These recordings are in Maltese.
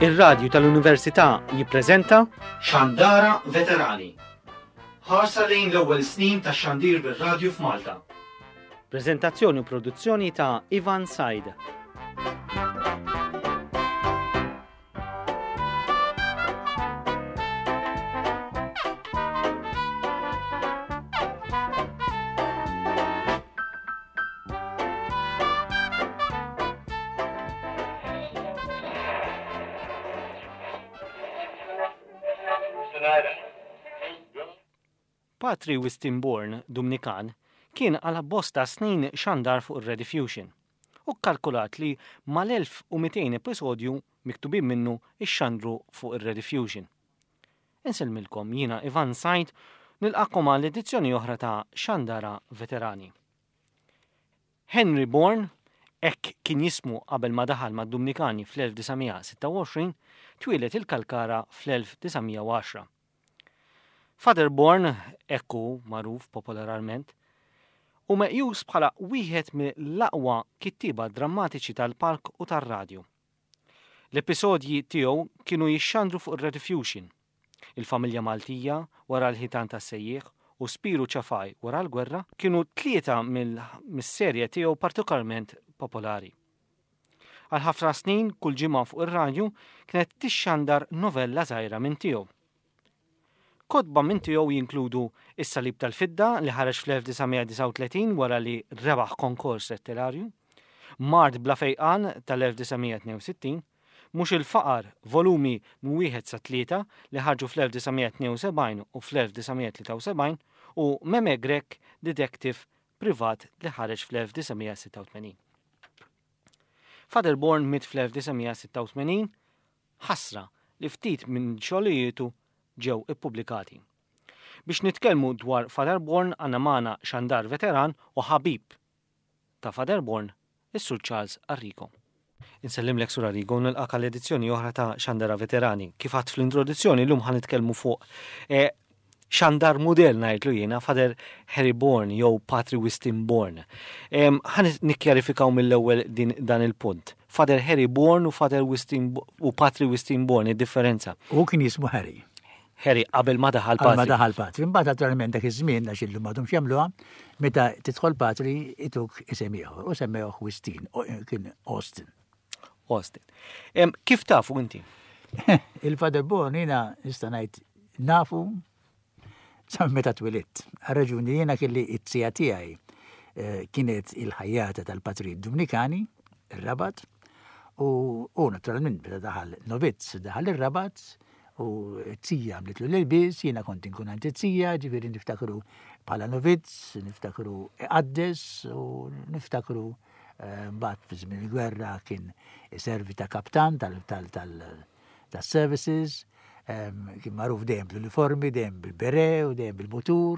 Ir-Radju tal-Università jippreżenta Xandara Veterani. Ħarsa lejn l-ewwel snin tax-xandir bir-radju f'Malta. Preżentazzjoni u produzzjoni ta' Ivan Said. Patri Wistin Bourne, Dumnikan, kien għal bosta snin xandar fuq ir-Rediffusion u kkalkulat li mal-1200 episodju miktubin minnu ixxandru fuq ir-Rediffusion. Insellmilkom jiena Ivan Said nilqakom għal edizzjoni oħra ta' Xandara Veterani. Henry Bourne, hekk kien jismu qabel ma daħal mad-Dumnikani fl-1926, twieled il-Kalkara fl-1910. Father Bourne, hekk hu magħruf popolarment, hu meqjus bħala wieħed mill-aqwa kittieba drammatiċi tal-palk u tar-radju. L-episodji tiegħu kienu jixxandru fuq ir-Rediffusion. Il-Familja Maltija, Wara l-Ħitan tas-Sejjieħ u Spiru Ċafaj Wara l-Gwerra kienu tlieta mis-serje tiegħu partikolarment popolari. Għal ħafna snin kull ġimgħa fuq ir-radju kienet tixxandar novella żgħira minn tiegħu. Kotba minn tiegħu jinkludu Is-Salib tal-Fidda li ħareġ fl-1939 wara li rebaħ konkors letterarju, Mard bla fejqan tal-1962, Mhux il-Faqar, volumi minn wieħed sa tlieta li ħarġu fl-1972 u fl-1973 u Meme Grech, Detective Privat li ħareġ fl-1986. Father Bourne miet fl-1986 Ħasra li ftit minn xogħlijietu ġew ippubblikati. Biex nitkellmu dwar Father Bourne għandna magħna xandar veteran u ħabib ta' Father Bourne, is-Sur Charles Arrigo. Insellimlek Sur Arrigo u nilqak għal edizzjoni oħra ta' Xandara Veterani. Kif għadt fl-introduzzjoni llum ħa nitkellmu fuq eh, xandar mudell ngħidlu jiena Father Harry Bourne jew Patri Wistin Bourne. Ħa nikkjarifikaw mill-ewwel din dan il-punt. Father Harry Bourne u Father Wistin u Patri Wistin Bourne, id-differenza. U kien jismu Harry. Harry qabel ma daħal patri. Qabel ma daħal patri. Imbagħad naturalment dak iż-żmien għax illum m'għadhomx jagħmluha, meta tidħol patri ituk isem ieħor u semmewh Wistin, kien Austin. Austin. Kif tafu inti? Il-Father Bourne jiena nista' ngħid nafu sa meta twilidt. Għar-raġuni jiena kelli it-tija tiegħi eh, kienet il-ħajjata tal-patrijiet Dominikani, ir-Rabat, u, u naturalment meta daħal novizz daħal ir-Rabat, u t-tija għamlitlu l-ilbies, jiena kont inkun għand it-tija, ġifieri niftakru bħala novizz, niftakru iqaddes u niftakru eh, mbagħad fi żmien il-gwerra kien iservi ta' kaptan tal-services, kien magħruf dejjem bl-uniformi, dejjem bil-bere u dejjem bil-mutur.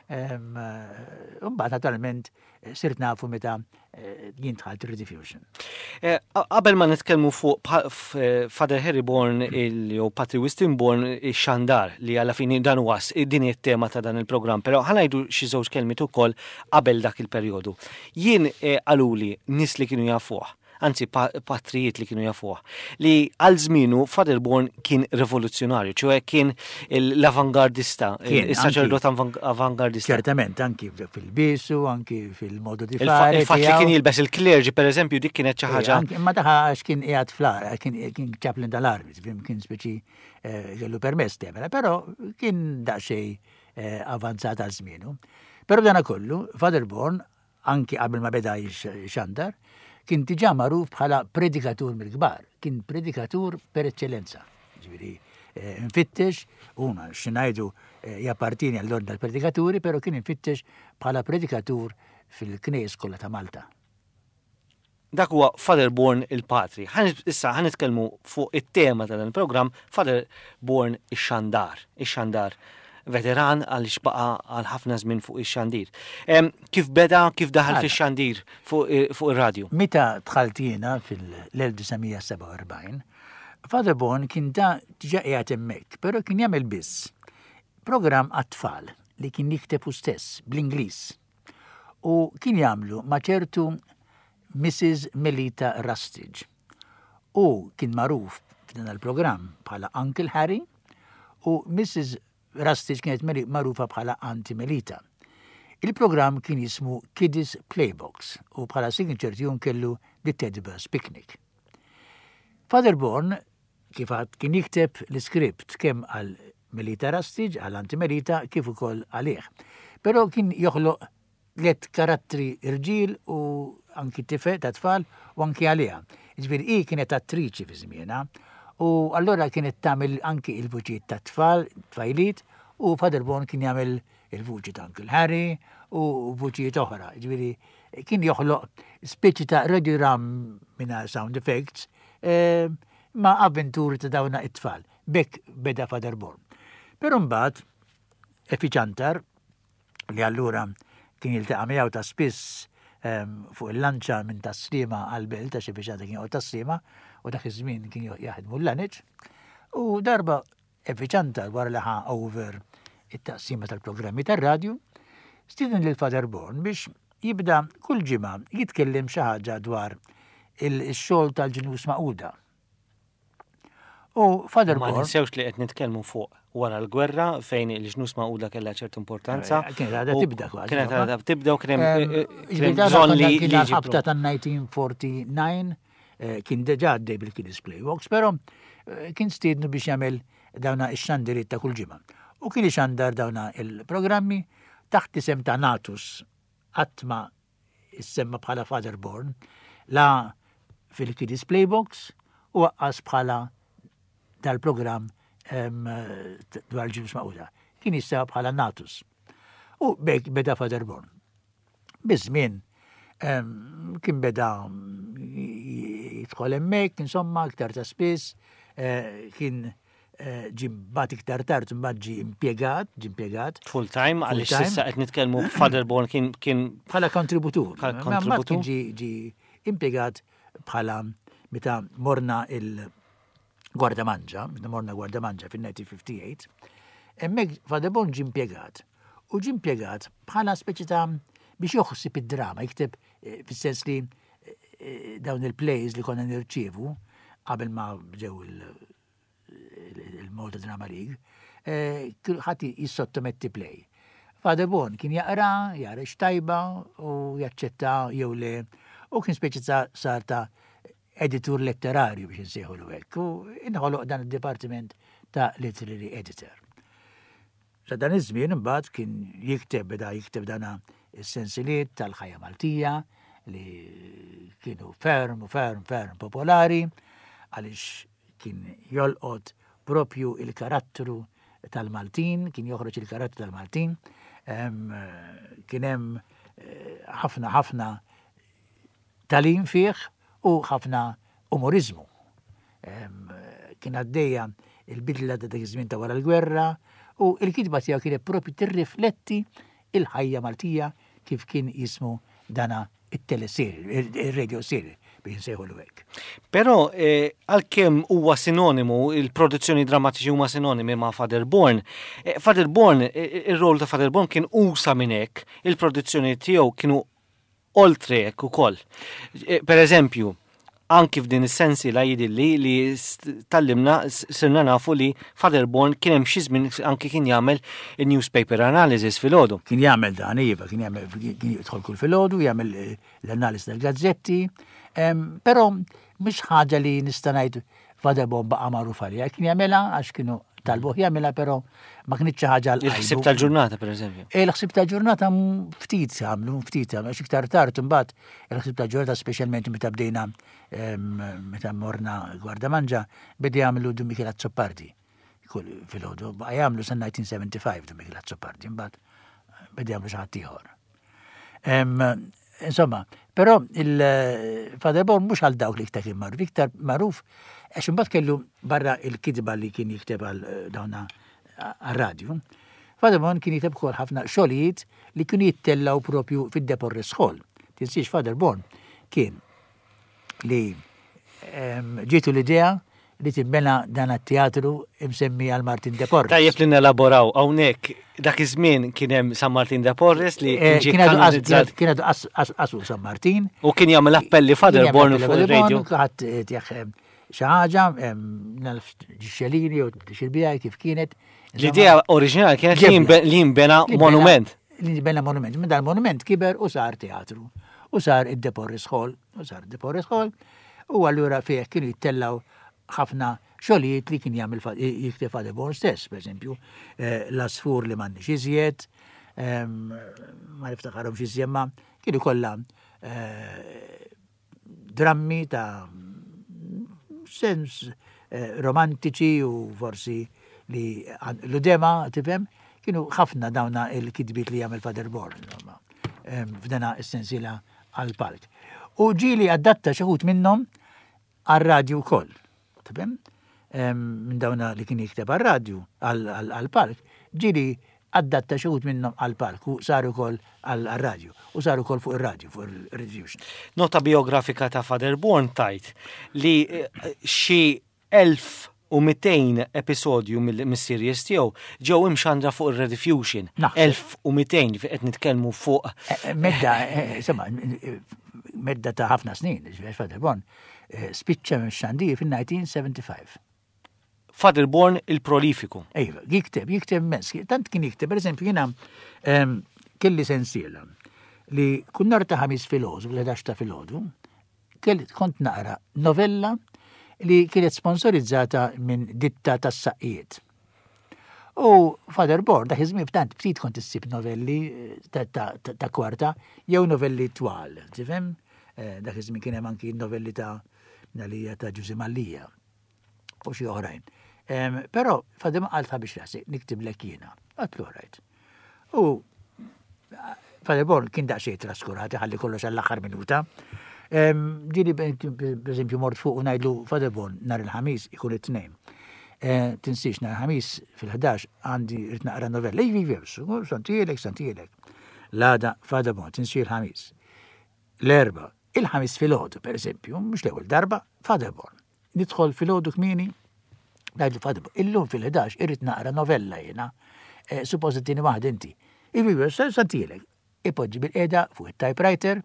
Mbagħad naturalment sirt nafu meta eh, jien dħalt Rediffusion. Eh, qabel ma nitkellmu fuq eh, Father Harry Bourne jew Patri Wistin Bourne ix-xandar li għalla fini dan huwa din it-tema ta' dan il-programm, però ħanajdu xi żewġ kelmiet ukoll qabel dak il-perjodu. Jien qaluli nies li kienu jafuh anzi patrijiet li kienu jafuh, li għal żmienu Father Bourne kien rivoluzzjonarju, ċoe kien l-avangardista, il-saċerdot avangardista. Ċertament, anki fil-bisu, anki fil-modu di fare. Il-fatt li kien jilbes il-klerġi, per eżempju, dik kienet xi ħaġa. Imma daħa għax kien qiegħed fl kien chaplain tal-armi, kien speċi eh, kellu permess temela, però kien daqsxejn eh, avanzat għal żmienu. Però dana kollu, Father Bourne anki qabel ma beda jxandar, kien diġà magħruf bħala predikatur mill-kbar, kien predikatur per eċċellenza. Ġifieri, eh, nfittex, huma xi ngħidu eh, jappartieni għall-ordni tal-predikaturi, però kien infittex bħala predikatur fil-knejjes kollha ta' Malta. Dak huwa Father Bourne il-Patri. Issa ħa nitkellmu fuq it-tema ta' dan il-programm, Father Bourne ix-xandar. Ix-xandar veteran għaliex baqa' għal ħafna żmien fuq ix-xandir. Kif beda, kif daħal fix-xandir fuq ir-radju? Meta dħalt jiena fil-1947, Father Bourne kien da diġà qiegħed hemmhekk, però kien jagħmel biss programm għat-tfal li kien jikteb hu stess bl-Ingliż. u kien jagħmlu ma' ċertu Mrs. Melita Rustage. Hu kien magħruf f'dan il-programm bħala Uncle Harry u Mrs. Rustage kienet magħrufa bħala Auntie Melita. Il-programm kien jismu Kiddies Playbox u bħala signature tune kellu The Teddy Bear's Picnic. Father Bourne kif għad kien jikteb l-iskript kemm għal Melita Rustage, għal Auntie Melita, kif ukoll għalih. Però kien joħloq tlett karattri rġiel u anki tifel ta' tfal u anki għaliha. Ġifieri hi kienet attriċi fi żmienha u allura kienet tagħmel anki il-vuċijiet ta' tfal, tfajliet u Father Bon kien jagħmel il-vuċi ta' Uncle Harry u vuċijiet oħra. Ġifieri kien joħloq speċi ta' radiogram mingħajr sound effects eh, ma' avventuri ta' dawna it-tfal. Bekk beda Father Born. Però mbagħad Efi Ċantar li allura kien jiltaqa' miegħu ta' spiss ehm, fuq il-lanċa minn tas-Sliema għall-belt għax biex kien joqgħod tas-Sliema u dak iż-żmien kien jaħdmu l-laniċ. U darba Evi Ċantar wara li ħa over it-taqsima tal-programmi tar-radju, stieden lil Father Born biex jibda kull ġimgħa jitkellem xi ħaġa dwar il-xogħol tal-ġnus maquda. U Father Ma ninsewx li qed nitkellmu fuq wara l-gwerra fejn il-ġnus maquda kellha ċertu importanza. Eh, kienet għadha tibda kważi. Kienet għadha tibda u kien hemm eh, eh, bżonn li kien ħabta tan-1949 kien deġa għaddej bil-Kiddies Playbox, però kien stiednu biex jagħmel dawna ix-xandiriet ta' kull ġimgħa. U kien ixandar dawna il-programmi taħt isem ta' Natus qatt ma issemma bħala Father Born, la fil-Kiddies Playbox u aqqas bħala dal-programm dwar ġinus maquda. Kien jissemma bħala Natus. U bek beda Father Born. Biż-żmien kien beda jidħol hemmhekk, insomma, iktar ta' spiss, eh, kien Eh, ġi mbagħad iktar tard mbagħad ġi impjegat, ġi impjegat. Full time għaliex s'issa qed nitkellmu Father Born kien kien bħala kontributur. Bħala kontributur. Kien ġi ġi impjegat bħala meta morna il Gwardamanġa, meta morna Gwardamanġa fil-1958, hemmhekk Father Born ġi impjegat u ġi impjegat bħala speċi ta' biex joħsib id-drama, jikteb eh, fis-sens li eh, dawn il-plays li konna nirċievu qabel ma ġew il- il-Malta Drama League, eh, ħadd jissottometti play. Father Bon kien jaqra, jara x'tajba u jaċċetta jew le, u kien speċi sar ta' editur letterarju biex insejħu l hekk. U inħoloq dan id-dipartiment ta' literary editor. Sa dan iż-żmien imbagħad kien jikteb beda jikteb dana is-sensiliet tal-ħajja Maltija li kienu ferm u ferm ferm popolari għaliex kien jolqot propju il-karattru tal-Maltin, kien joħroġ il-karattru tal-Maltin, kien hemm eh, ħafna ħafna tagħlim fih u ħafna umoriżmu. Kien għaddejja il-bidla ta' dak iż-żmien ta' wara l-gwerra u l-kitba tiegħu kienet propju tirrifletti il-ħajja Maltija kif kien jismu dana it-teleserje, il-radio series biex nsejħu hekk. Però eh, għalkemm huwa sinonimu, il-produzzjoni drammatiċi huma sinonimi ma' Father Born, eh, Father Born, eh, ir-rol ta' Father Born kien usa minn hekk, il-produzzjoni tiegħu kienu oltre hekk ukoll. E, per eżempju, anki f'din is-sensi la jidilli li tallimna sirna nafu li Father Born kien hemm xi żmien anki kien jagħmel il-newspaper analysis filgħodu. Kien jagħmel dan iva, kien jagħmel kien jidħol kull filgħodu jagħmel eh, l-analiżi tal-gazzetti, però mhux ħaġa li nista' ngħid Father Born baqa' magħruf għaliha, kien jagħmilha għax kienu talbuh jagħmilha però ma kienx xi ħaġa għal Il-ħsieb tal-ġurnata pereżempju. Il-ħsieb tal-ġurnata ftit għamlu, ftit għamlu, għax iktar tard imbagħad il-ħsieb tal-ġurnata speċjalment meta bdejna meta morna Gwardamanġa beda jagħmlu Dun Mikiel Azzopardi. Kull filgħodu baqa' jagħmlu sa 1975 Dun Mikiel Azzopardi, imbagħad beda jagħmlu xi ħadd ieħor. Insomma, però il-Father Born mhux għal dawk li iktar kien magħruf, iktar magħruf għax imbagħad kellu barra il-kitba li kien jikteb għal eh, dawna għar-radju. Father Born kien jikteb ukoll ħafna xogħlijiet li kienu jittellaw propju fid-Deporres Hall. Tinsiex Father Born kien li ġietu l-idea li tibbena dan it-teatru imsemmi għal Martin de Porres. Tajjeb li nelaboraw hawnhekk dak iż-żmien kien hemm San Martin de Porres li eh, kien kanonizzat. Kien għadu qasu San Martin. U kien jagħmel appelli Father Born fuq ir-radio. Ħadd eh, xi ħaġa, naf ġixxelini jew xil-bijaj kif kienet. L-idea oriġinali kienet li jinbena monument. Li jinbena monument. Minn dal-monument kiber u sar teatru. U sar id-Deporris Hall. U sar id-Deporris Hall. U allura fih kienu jittellaw ħafna xogħlijiet li kien jagħmel jikteb Father Born stess, per eżempju, eh, l-asfur li m'għandniex iżjed, ma niftakarhomx iżjed ma kienu kollha eh, drammi ta' sens eh, romantiċi u forsi li l-udema, tifhem, kienu ħafna dawna il-kitbiet li jagħmel Father Born, f'dana s-sensiela għal-palk. U ġieli adatta xi minnhom għar-radju wkoll. Tifhem? Minn dawna li kien jikteb għar-radju, għall-palk, ġieli adatta xi wħud minnhom għall-palk u saru wkoll għar-radju u saru wkoll fuq ir-radju, fuq ir-Rediffusion. Nota biografika ta' Father Born tgħid li xi 1200 episodju mis-series tiegħu ġew imxandra fuq ir-Rediffusion. 1200 fi qed nitkellmu fuq. Medda, insomma, medda ta' ħafna snin, ġifieri Father Born spiċċa mix-xandir fil-1975. Father Born il-prolifiku. Ejva, jikteb, jikteb immens. Tant kien jikteb, per eżempju, jiena kelli sensiela li kull nhar ta' ħamis filgħodu, fil-11 ta' filgħodu, kont naqra novella li kienet sponsorizzata minn ditta tas-saqqijiet. U Father Born, dak iż-żmien tant ftit kont issib novelli eh, ta' kwarta jew novelli twal, tifhem? Eh, dak iż-żmien kien hemm anki novelli ta' Nalija ta' Ġużi Mallija u xi oħrajn. Però Father qal ta' biex rasi niktiblek jiena. Għatlu rajt. U Father Born kien daqsxejn traskurat, ħalli kollox għall-aħħar minuta. Ġieli per eżempju mort fuq u ngħidlu Father Born nhar il-ħamis ikun it-tnejn. Eh, tinsiex nhar il-ħamis fil-11 għandi rrid naqra novella. Ivi, ivi, santielek, santielek. L-għada Father Born, tinsiex il-ħamis. L-erba, il-ħamis filgħodu, per eżempju, mhux l-ewwel darba, Father Born. Nidħol filgħodu kmieni, ngħidlu Father, illum fil-11 irrid naqra novella jiena. Eh, suppost it-tieni waħda inti. Ivi, santilek. Ipoġġi bil-qeda fuq it-typewriter,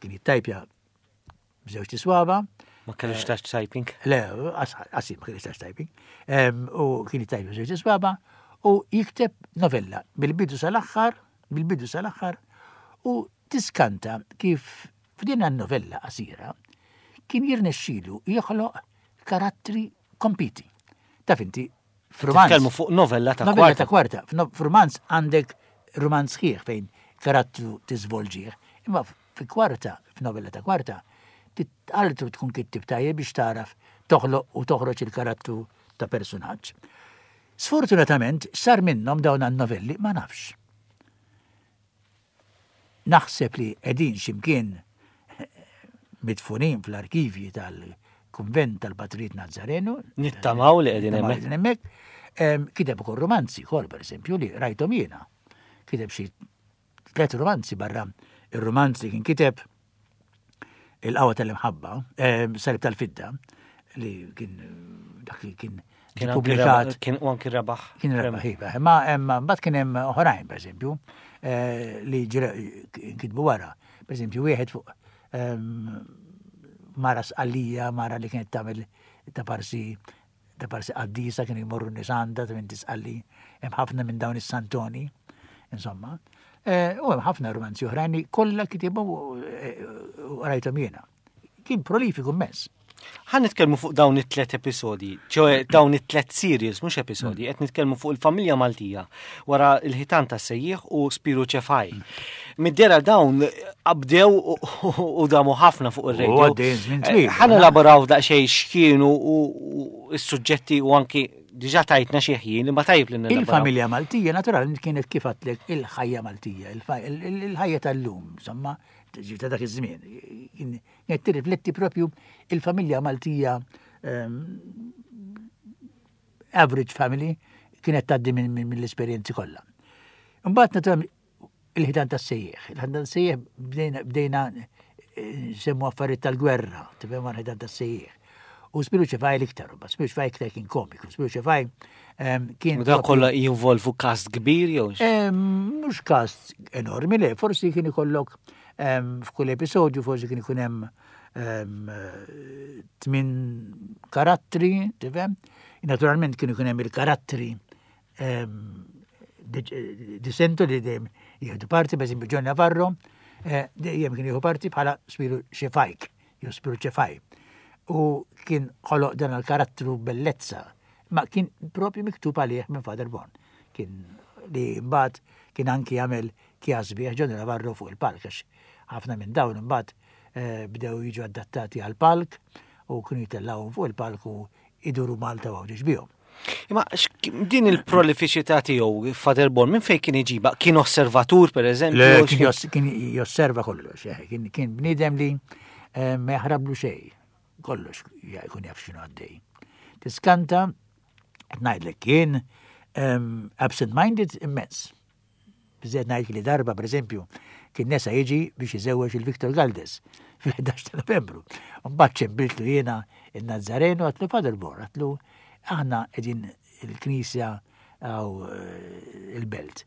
kien jittajpja b'żewġ tiswaba. Ma kellux eh, touch typing? Le, qasib ma kellux touch typing. U kien jittajpja b'żewġ tiswaba u jikteb novella bil-bidu sal-aħħar, bil-bidu sal-aħħar u tiskanta kif F'din in-novella qasira kien jirnexxilu joħloq karattri kompiti. Taf inti, f'rumanz. Nitkellmu fuq novella ta' kwarta. Novella ta' kwarta. F'rumanz għandek rumanz sħiħ fejn karattru tiżvolġih. Imma fi kwarta, f'novella ta' kwarta, titqaltu tkun kittib tajjeb biex tagħraf toħloq u toħroġ il-karattru ta' persunaġġ. Sfortunatament, sar minnhom dawn għan-novelli ma nafx. Naħseb li qegħdin xi mkien midfunin fl-arkivji tal-Kunvent tal-Patrijiet Nazzarenu. Nittamaw li qegħdin hemmhekk. hemmhekk. Kiteb ukoll romanzi wkoll pereżempju li rajthom jiena. Kiteb xi tliet romanzi barra ir-romanz li kien kiteb il-qawwa tal-imħabba, Salib tal-Fidda, li kien dak li kien Kien pubblikat. Kien u anki rebaħ. Kien rebaħ, iva. Ma mbagħad kien hemm oħrajn, pereżempju, eh, li kitbu wara. Pereżempju, wieħed fuq ehm, mara sqallija, mara li kienet tagħmel ta' parsi ta' parsi qaddisa kienu jmorru nies għandha ta' minn tisqalli, hemm ħafna minn dawn is-santoni, insomma. Eh, u hemm ħafna romanzi oħrajn li kollha kitibu eh, u rajthom jiena. Kien prolifiku immens. Ħa nitkellmu fuq dawn it-tlet episodi, ċoe dawn it-tlet series, mhux episodi, mm. qed nitkellmu fuq il-familja Maltija wara l-ħitan ta' sejjieħ u Spiru Ċefaj. Mm. Middera dawn qabdew u damu ħafna fuq ir-radio. Eh, ħa nelaboraw daqsxejn x'kienu u s-suġġetti u anki diġà tajtna xi ħin imma tajjeb li nelaboraw. Il-familja Maltija naturalment kienet kif għadtlek il-ħajja Maltija, il-ħajja tal-lum, insomma, ta' dak iż-żmien. Kienet tirrifletti propju il-familja Maltija ehm, average family kienet tgħaddi mill-esperjenzi kollha. Imbagħad naturalment il-ħitan tas-sejjeħ. Il-ħitan tas-sejjeħ bdejna eh, semmu affarijiet tal-gwerra, tifhem għal ħitan tas-sejjeħ. U Spiru Ċefaj l-iktar, ma Spiru Ċefaj iktar kien komiku, Spiru Ċefaj ehm, kien. U da kollha jinvolvu kast kbir jew? Ehm, mhux kast enormi le, forsi kien ikollok ehm, f'kull episodju forsi kien ikun hemm tmin karattri, tifhem? Naturalment kienu kien hemm il-karattri dissentu li dejjem jieħdu parti, per eżempju John Navarro, eh, dejjem kien jieħu parti bħala Spiru Xefajk, jew Spiru Ċefaj. U kien ħoloq dan il-karattru bellezza, ma kien propju miktub għalih minn Father Bon. Kien li mbagħad kien anki jagħmel kjas bih John Navarro fuq il-palk, għax ħafna minn dawn imbagħad eh, bdew jiġu adattati għal palk u kienu jitellgħuhom fuq il-palk u iduru Malta u Għawdex bihom. Imma din il-prolifiċità tiegħu Father Born minn fejn kien iġiba? Kien osservatur per eżempju? Le, kien josserva kollox, eh, kien bniedem li eh, ma jaħrablu xejn, kollox jkun jaf x'inhu għaddej. Tiskanta, ngħidlek kien ehm, absent-minded immens. Biżżejjed ngħid li darba, pereżempju, kien nesa jiġi biex iżewweġ il-Victor Galdes fil-11 ta' Novembru. Mbagħad ċembiltlu jiena il-Nazzarenu għatlu Father Bor, għatlu aħna qegħdin il-knisja għaw eh, il-belt.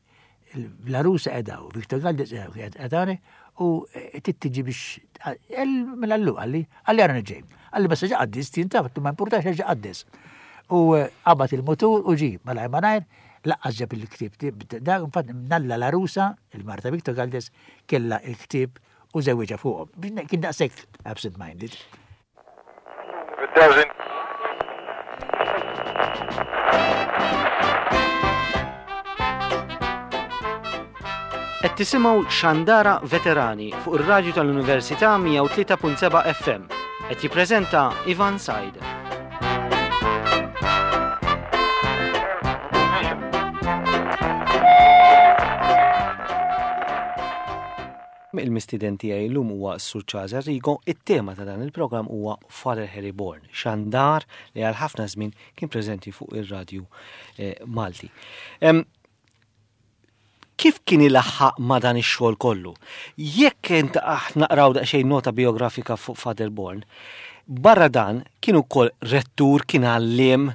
L-arusa qedaw, Victor Galdes qedawni u eh, tittiġi biex mela allu għalli, għalli għara nġej. Għalli basta ġa qaddis, tinta, ma importax ġa qaddis. U eh, qabad il-motur u ġi, malajr malajr, Laqqas ġab il-ktieb dak infatti nalla l-għarusa, il-Marta Victor Galdes, kellha il-ktieb u żewwiġha fuqhom. Kien daqshekk absent minded. Qed tisimgħu Xandara Veterani fuq ir-radju tal-Università 103.7 FM. Qed jippreżenta Ivan Said. Il-mistieden tiegħi llum huwa s-Sur Charles Arrigo, it-tema ta' dan il-programm huwa Father Harry Born, xandar li għal ħafna żmien kien preżenti fuq ir-radju eh, Malti. Kif kien ilaħħaq ma' dan ix-xogħol kollu? Jekk int aħna naqraw daqsxejn nota bijografika fuq Father Born, barra dan kien ukoll rettur, kien għalliem,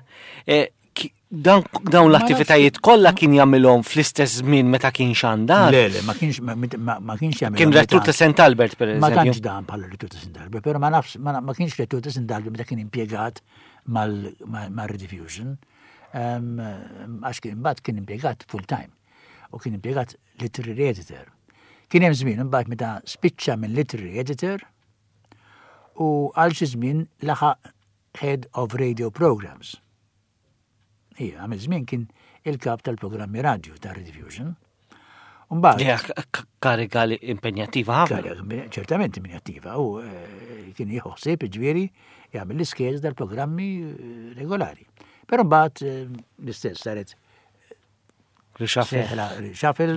eh, dawn l-attivitajiet kollha kien jagħmilhom fl-istess żmien meta kien xandar. Le, le, ma kienx ma kienx jagħmilhom. Kien rettur ta' St. Albert per eżempju. Ma tantx dan bħala rettur ta' St. Albert, però ma nafx ma kienx rettur ta' St. Albert meta kien impjegat mal-Rediffusion. Għax kien imbagħad kien impjegat full time u kien impjegat literary editor. Kien hemm żmien imbagħad meta spiċċa minn literary editor u għal xi żmien laħaq head of radio programs. Ija, għamil żmien kien il-kap tal-programmi radio ta' Rediffusion. Mbagħad kariga li impenjattiva ħafna. Kariga ċertament impenjattiva u eh, kien jieħu ħsieb ġifieri jagħmel l-iskejjel tal-programmi eh, regolari. Però mbagħad eh, l-istess saret Reshuffle,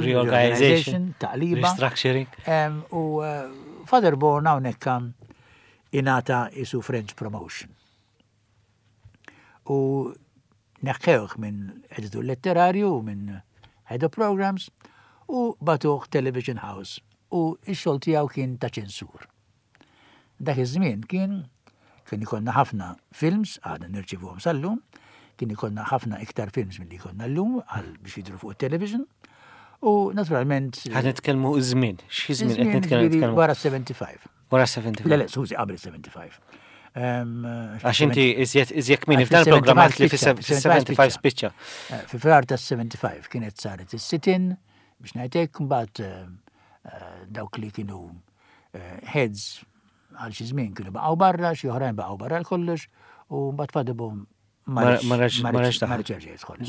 reorganization, taqliba. Restructuring. U Father Born hawnhekk ingħata isu French promotion. U neħħewh minn editur letterarju u minn head of programs u batuh Television House u x-xogħol tiegħu kien ta' ċensur. Dak iż-żmien kien kien ikollna ħafna films, għadna nirċivuhom sal-lum, kien ikollna ħafna iktar films milli jkollna llum għal biex jidhru fuq it-television. U naturalment. Ħa nitkellmu iż-żmien, xi żmien qed nitkellmu? Wara 75. Wara 75. Le, le, skużi, qabel 75. Għax inti iżjed iżjed kmini f'dan il-programm għalt li fis-75 spiċċa. Eh, fi frar ta' 75 kienet saret is-sitin biex ngħidlek mbagħad eh, eh, dawk li kienu heads għal xi żmien kienu baqgħu barra, xi oħrajn baqgħu barra l-kollox u mbagħad fadibhom Ma reġ ma reġ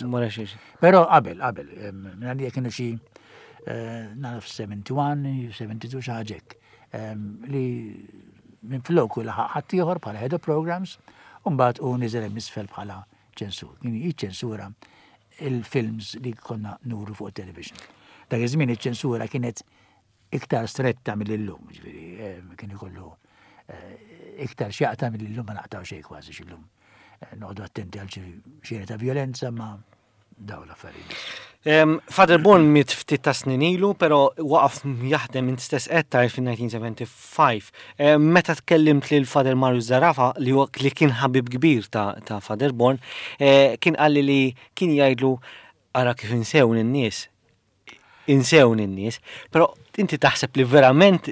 Ma reġ Però qabel, qabel, minn għalija kienu xi eh, naf 71, 72 xi ħaġa hekk, li minn floku laħaq ħaddieħor bħala head of programs, u mbagħad u niżel hemm isfel bħala ċensur. Kien jiċċensura il-films li konna nuru fuq television. Dak iż-żmien iċ-ċensura kienet iktar stretta mill-illum, ġifieri, eh, kien ikollu eh, iktar x'jaqta mill-illum ma naqtaw xejn kważi x'illum. Eh, noqogħdu attenti għal xi ta' violenza ma daw l-affarijiet. Father Born miet ftit ta' snin ilu, però waqaf jaħdem int stess qed tgħid fin-1975. Meta tkellimt lil Father Marius Zarafa li li kien ħabib kbir ta', ta Father Born, eh, kien qalli li kien jgħidlu ara kif insewni n-nies. Insewni n-nies, però inti taħseb li verament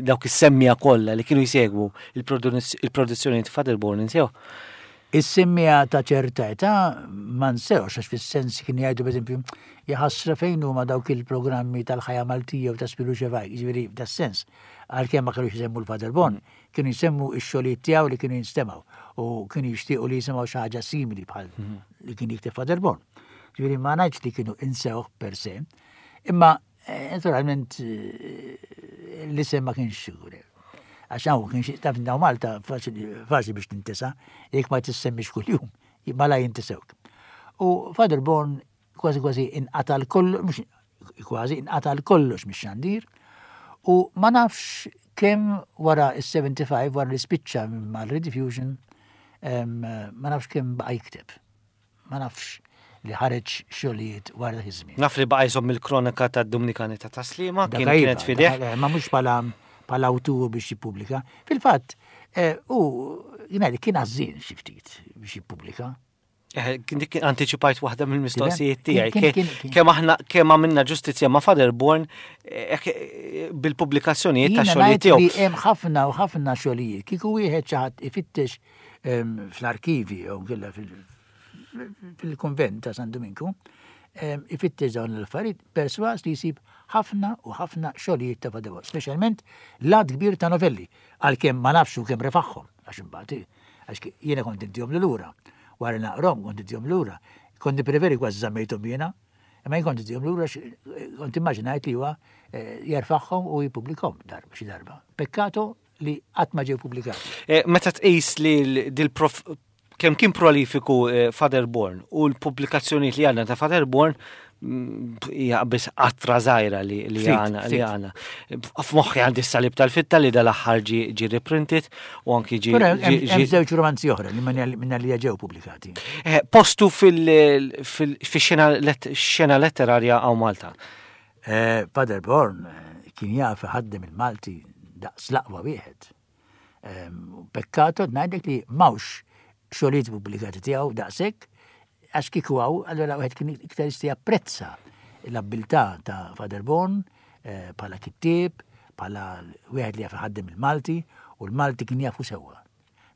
dawk is-semmija kollha li kienu jsegwu il-produzzjoni ta' Father Born insew? Is-semmija ta' ċerta età ma nsewx għax fis-sens kien jgħidu pereżempju jaħasra fejn huma dawk il-programmi tal-ħajja Maltija u ta' Spiru Xevaj, jiġifieri f'das-sens, għalkemm ma kellux isemmu l-Father Born, kienu jsemmu x-xogħlijiet tiegħu li kienu jinstemgħu u kienu jixtiequ li jisimgħu xi ħaġa simili bħal li kien jikteb Father Born. Ġifieri ma ngħidx li kienu insewh per se, imma eh, naturalment eh, l-isem ma kienx sigur. Għax hawn kien xi taf daw Malta faċli biex tintesa, jekk ma tissemmix kuljum, mala jintisewk. U Father Born kważi kważi inqata' l-kollu, mhux kważi inqata' l-kollox mix-xandir u ma nafx kemm wara is-75 wara li spiċċa mal-Rediffusion ma nafx kemm baqa' jikteb. Ma nafx li ħareġ xogħlijiet wara dak iż-żmien. Naf li baqa' jżomm il-kronaka tad-Dumnikani ta' Taslima, kien iva, kienet fideh. Ma mhux bħala bħala awtur biex jippubblika. Fil-fatt, eh, u jingħid kien għażżien xi ftit biex jippubblika. Eh, dik anticipajt waħda mill-mistoqsijiet tiegħi. Kemm aħna kemm għamilna ġustizzja ma' Father Born eh, eh, bil-pubblikazzjonijiet ta' xogħlijiet tiegħu. Hemm ħafna u ħafna xogħlijiet. Kieku wieħed xi ħadd ifittex ehm, fl-arkivi jew kella fil-konvent ta' San Dominku, ehm, ifittex dawn l-affarijiet perswas li jsib ħafna u ħafna xogħlijiet ta' Father Born, speċjalment lat kbir ta' novelli, għalkemm ma nafx kemm refaħħom għax imbagħad Għax jiena kont intihom li lura. Wara naqrom kont intihom lura. Kont nippreferi kważi żammejthom jiena. Imma jien kont intihom lura kont immaġinajt li huwa eh, jerfagħhom u jippubblikhom darba xi darba. Pekkato li qatt ma ġew pubblikati. Eh, meta tqis li dil-prof kemm kien prolifiku eh, Father Born u l-pubblikazzjonijiet li għandna ta' Father Born hija biss qatra żgħira li għana li għana. F'moħħi għandi s-salib tal-fitta li dal-aħħar ġi reprinted u anki ġi. Hemm żewġ romanzi oħra li minna li ġew pubblikati. Eh, postu fil-xena letterarja għaw Malta. Eh, Father Born eh, kien jaf ħaddem il-Malti daqs l-aqwa wieħed. Pekkato ngħidlek li m'hawnx xogħlijiet pubblikati tiegħu daqshekk għax kieku hawn allura wieħed kien iktar jista' japprezza l-abbiltà ta' Father Born eh, bħala kittieb, bħala wieħed li jaf iħaddem il-Malti u l-Malti kien jafu sewwa.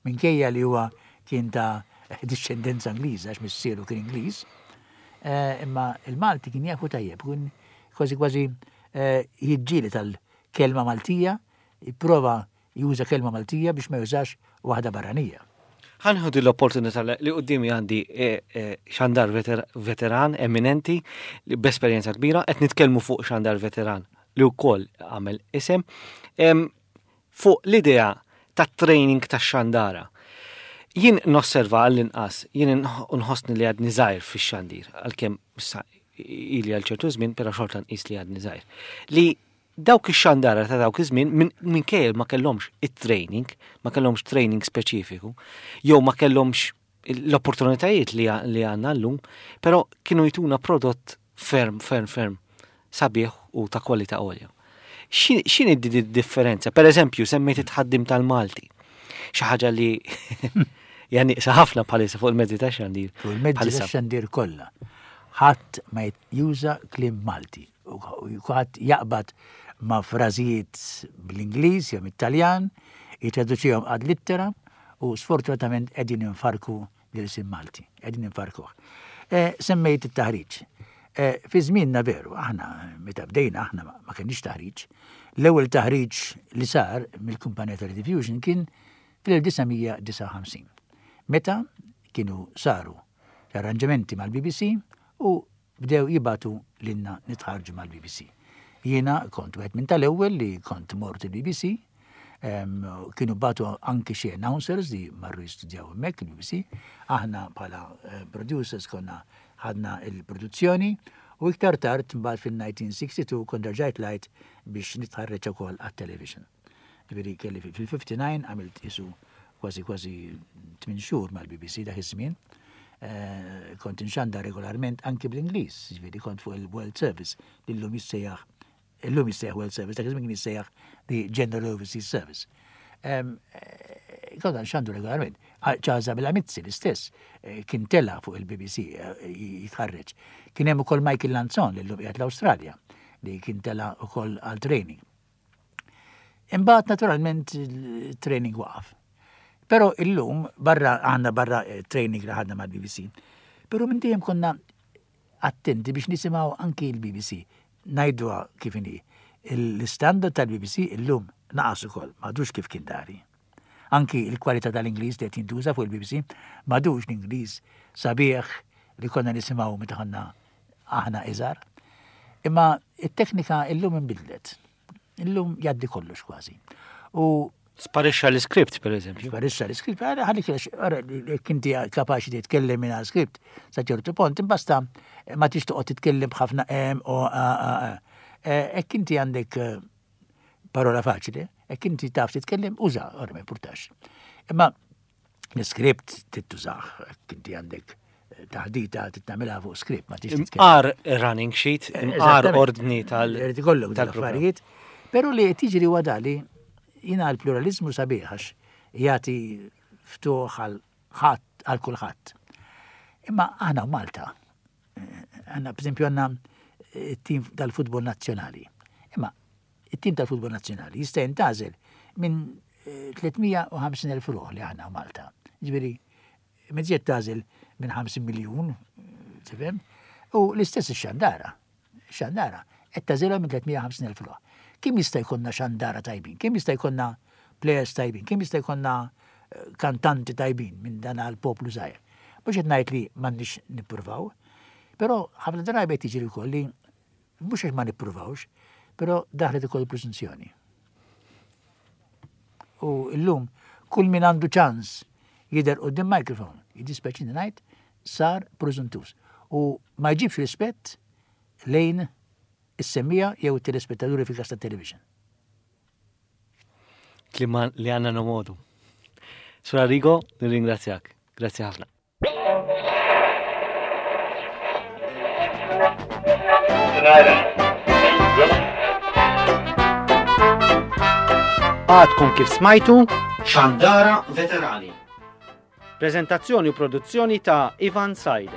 Minkejja li huwa kien ta' discendenza Ingliża għax missieru kien Ingliż, eh, imma il-Malti kien jafu tajjeb, kien kważi kważi eh, jiġġieli tal-kelma Maltija Jipprova juża kelma Maltija biex ma jużax waħda barranija. Ħa nieħu din l-opportunità li quddiemi għandi eh, eh, xandar veteran eminenti li b'esperjenza kbira, qed nitkellmu fuq xandar veteran li wkoll għamel isem fuq l-idea ta' training ta' xandara. Jien nosserva għall-inqas, jien nħossni li għadni żgħir fix-xandir, għalkemm issa ili għal ċertu żmien, però xorta nqis li għadni żgħir. Li Dawk ix-xandara ta' dawk iż-żmien minkejja ma kellhomx it-training, ma kellhomx training speċifiku, jew ma kellhomx l-opportunitajiet li għandna llum, però kienu jtuna prodott ferm, ferm, ferm sabiħ u ta' kwalità għolja. X'inhi d-differenza? Per eżempju, semmejt it-tħaddim tal-Malti. Xi ħaġa li hija nieqsa ħafna bħalissa fuq il-mezzi ta' xandir. Fuq il-mezzi ta' xandir kollha. Ħadd ma juża kliem Malti. Kulħadd jaqbad ma' frażijiet bl-Ingliż jew mit-Taljan, jittraduċihom ad littera u sfortunatament qegħdin infarku l-ilsien Malti, qegħdin infarkuh. Eh, semmejt it-taħriġ. Eh, fi żmienna veru, aħna meta bdejna aħna ma kenniex taħriġ. L-ewwel taħriġ li sar mill-kumpanija ta' Rediffusion kien fl-1959. Meta kienu saru l-arranġamenti mal-BBC u bdew jibagħtu lilna nitħarrġu mal-BBC. Jiena kont wieħed minn tal-ewwel li kont mort il-BBC, kienu bagħtu anki xi announcers li marru jistudjaw hemmhekk il-BBC. Aħna bħala eh, producers konna ħadna il-produzzjoni u iktar tard mbagħad fil-1962 kont rġajt lajt biex nitħarreġ ukoll għat-television. Ġifieri kelli fil-59 għamilt isu kważi kważi 8 xhur mal-BBC dak iż-żmien. Eh, kont inxandar regolarment anki bl-Ingliż, ġifieri kont fuq il-World Service li llum jissejjaħ illum jissejjaħ World Service, dak iż-żmien kien jissejjaħ the General Overseas Service. Eh, konna nxandu regolarment. Charles Abela Mizzi l-istess eh, kien tela fuq il-BBC eh, jitħarreġ. Kien hemm ukoll Michael Lanzon li llum qiegħed l-Awstralja li kien tela ukoll għal training. Imbagħad naturalment il-training waqaf. Però illum barra għandna barra eh, training li ħadna mal-BBC. Però minn dejjem konna attenti biex nisimgħu anki l-BBC. Ngħiduha kif inhi. L-istandard tal-BBC illum naqas ukoll, m'għadux kif kien dari. Anki l-kwalità tal-Ingliż li qed jintuża fuq il-BBC m'għadux l-Ingliż sabiħ li konna nisimgħu meta konna aħna iżgħar. Imma it-teknika illum inbidlet. Illum jgħaddi kollox kważi. U Sparixxa l-iskript, per eżempju. Sparixxa l-iskript, għalli jekk inti kapaċi titkellem minn skript sa ċertu pont, imbasta ma tix toqgħod titkellem b'ħafna M o A A A. Hekk inti għandek eh, parola faċli, hekk inti taf titkellem, uża, ora ma importax. Imma l-iskript tittużax, hekk inti għandek eh, taħdita titnamilha fuq skript, ma tix titkellem. Imqar running sheet, eh, imqar ordni tal. Irid ikollok tal-affarijiet. Però li qed jiġri huwa dali jiena l-pluralizmu sabiħ għax jagħti ftuħ għal ħadd għal kulħadd. Imma aħna Malta, eh, għandna pereżempju għandna it-tim tal-futbol nazzjonali. Imma it-tim tal-futbol nazzjonali jista' jintgħażel minn 350,000 eh, ruħ li aħna Malta. Ġifieri, mezziet tagħżel minn 50 miljun, tifhem? U l-istess ix-xandara. Xandara, qed tagħżilha minn 350,000 ruħ. Kemm jista' jkollna xandara tajbin? Kemm jista' jkollna players tajbin? Kemm jista' jkollna eh, kantanti tajbin minn dan għal poplu żgħir? Mhux qed ngħid li m'għandniex nippruvaw, però ħafna drabi qed jiġri wkoll li Mhux għax ma nippruvawx, però daħlet ukoll il-preżunzjoni. U llum kull min għandu ċans jidher quddiem microphone, jiddispjaċini ngħid, sar preżuntuż. U ma jġibx rispett lejn is-semmiegħa jew it-telespettaturi fil-każ tat-television. Kliem li għandna nomodu. Sur Arrigo, nirringrazzjak. Grazzi ħafna. Għadkom kif smajtu Xandara Veterani. Prezentazzjoni u produzzjoni ta' Ivan Said.